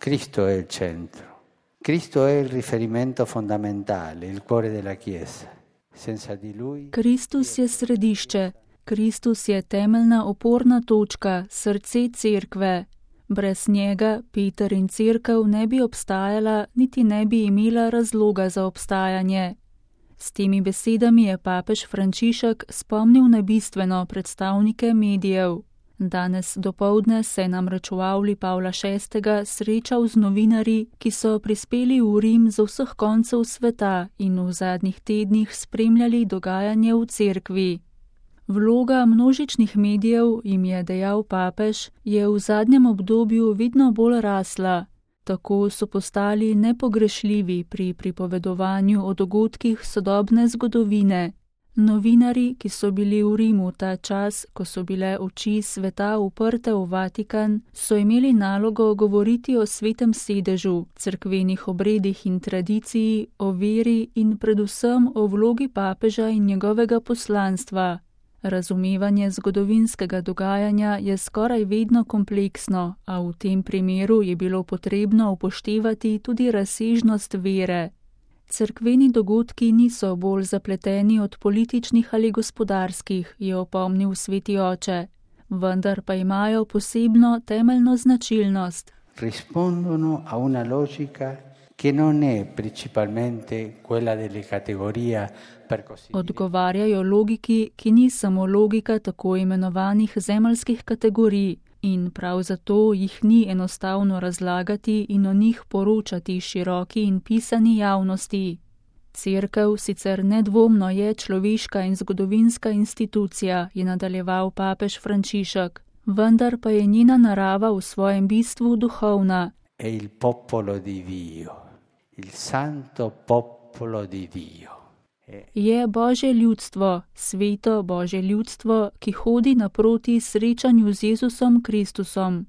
Cristo è il centro. Cristo è il riferimento fondamentale, il cuore della Chiesa. Senza di Lui... Kristus je središče. Kristus je temeljna oporna točka, srce cerkve. Brez njega Peter in cerkev ne bi obstajala, niti ne bi imela razloga za obstajanje. S temi besedami je papež Frančišek spomnil na bistveno predstavnike medijev. Danes dopoldne se je namreč v avli Pavla VI. Srečal z novinarji, ki so prispeli v Rim z vseh koncev sveta in v zadnjih tednih spremljali dogajanje v cerkvi. Vloga množičnih medijev, jim je dejal papež, je v zadnjem obdobju vedno bolj rasla. Tako so postali nepogrešljivi pri pripovedovanju o dogodkih sodobne zgodovine. Novinarji, ki so bili v Rimu ta čas, ko so bile oči sveta uprte v Vatikan, so imeli nalogo govoriti o svetem sedežu, cerkvenih obredih in tradiciji, o veri in predvsem o vlogi papeža in njegovega poslanstva. Razumevanje zgodovinskega dogajanja je skoraj vedno kompleksno, a v tem primeru je bilo potrebno upoštevati tudi razsežnost vere. Cerkveni dogodki niso bolj zapleteni od političnih ali gospodarskih, je opomnil sveti oče, vendar pa imajo posebno temeljno značilnost. Rispondono a una logica che non è principalmente quella delle categorie. Odgovarjajo logiki, ki ni samo logika tako imenovanih zemeljskih kategorij in prav zato jih ni enostavno razlagati in o njih poročati široki in pisani javnosti. Cerkev sicer nedvomno je človeška in zgodovinska institucija, je nadaljeval papež Frančišek, vendar pa je njena narava v svojem bistvu duhovna. È il popolo di Dio, il santo popolo di Dio. Je Božje ljudstvo, sveto Božje ljudstvo, ki hodi naproti srečanju z Jezusom Kristusom.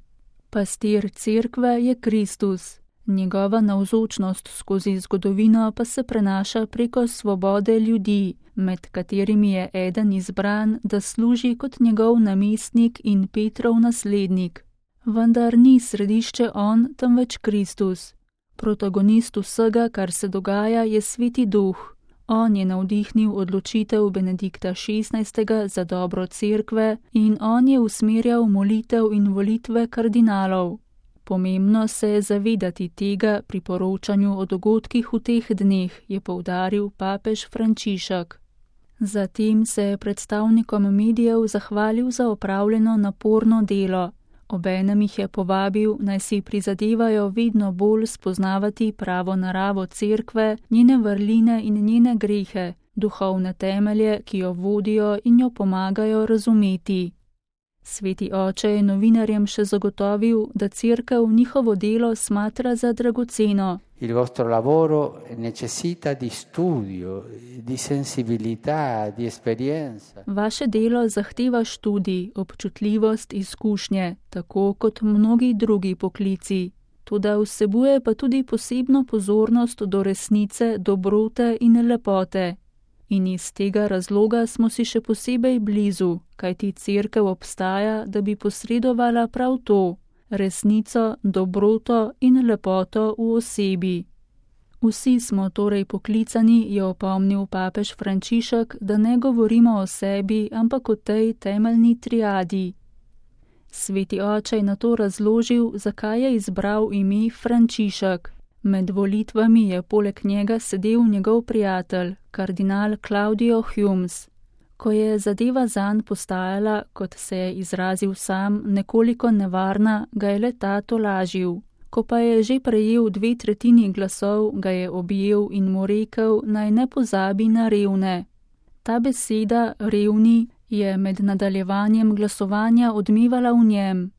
Pastir cerkve je Kristus. Njegova navzočnost skozi zgodovino pa se prenaša preko svobode ljudi, med katerimi je eden izbran, da služi kot njegov namestnik in Petrov naslednik. Vendar ni središče on, temveč Kristus. Protagonist vsega, kar se dogaja, je Sveti Duh. On je navdihnil odločitev Benedikta XVI. Za dobro cerkve in on je usmerjal molitev in volitve kardinalov. Pomembno se je zavedati tega pri poročanju o dogodkih v teh dneh, je poudaril papež Frančišek. Zatem se je predstavnikom medijev zahvalil za opravljeno naporno delo. Obenem jih je povabil, naj si prizadevajo vedno bolj spoznavati pravo naravo cerkve, njene vrline in njene grehe, duhovne temelje, ki jo vodijo in jo pomagajo razumeti. Sveti oče je novinarjem še zagotovil, da cerkev njihovo delo smatra za dragoceno. Il vostro lavoro necessita di studio, di sensibilità, di esperienza. Vaše delo zahteva študij, občutljivost, izkušnje, tako kot mnogi drugi poklici. Toda vsebuje pa tudi posebno pozornost do resnice, dobrote in lepote. In iz tega razloga smo si še posebej blizu, kajti cerkev obstaja, da bi posredovala prav to. Resnico, dobroto in lepoto v osebi. Vsi smo torej poklicani, je opomnil papež Frančišek, da ne govorimo o sebi, ampak o tej temeljni triadi. Sveti oče je nato razložil, zakaj je izbral ime Frančišek. Med volitvami je poleg njega sedel njegov prijatelj, kardinal Claudio Humes. Ko je zadeva zanj postajala, kot se je izrazil sam, nekoliko nevarna, ga je le ta tolažil. Ko pa je že prejel 2/3 glasov, ga je objel in mu rekel, naj ne pozabi na revne. Ta beseda, revni, je med nadaljevanjem glasovanja odmevala v njem.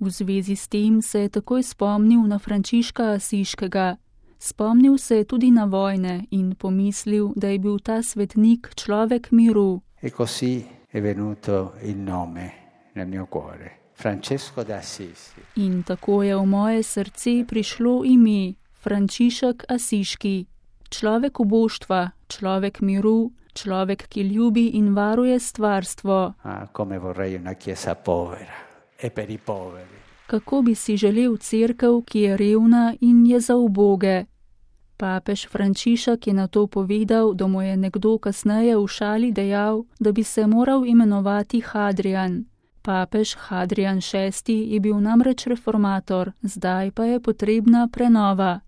V zvezi s tem se je takoj spomnil na Frančiška Asiškega. Spomnil se je tudi na vojne in pomislil, da je bil ta svetnik človek miru. E così è venuto il nome nel mio cuore, Francesco d'Assisi. In tako je v moje srce prišlo ime, Frančišek Asiški. Človek uboštva, človek miru, človek, ki ljubi in varuje stvarstvo. Come vorrei una chiesa povera e per i poveri. kako bi si želel cerkev, ki je revna in je za uboge. Papež Frančišek je na to povedal, da mu je nekdo kasneje v šali dejal, da bi se moral imenovati Hadrian. Papež Hadrian VI je bil namreč reformator, zdaj pa je potrebna prenova.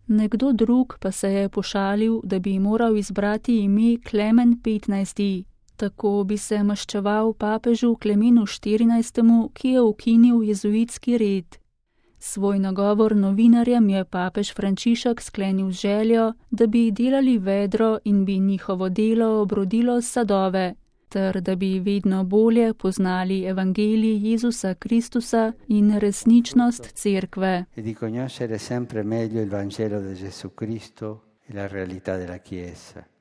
Nekdo drug pa se je pošalil, da bi moral izbrati ime Klemen XV. Tako bi se maščeval papežu Klemenu XIV, ki je ukinil jezuitski red. Svoj nagovor novinarjem je papež Frančišek sklenil z željo, da bi delali vedro in bi njihovo delo obrodilo sadove, ter da bi vedno bolje poznali evangelij Jezusa Kristusa in resničnost cerkve. E di conoscere sempre meglio il Vangelo di Gesù Cristo e la realtà della Chiesa.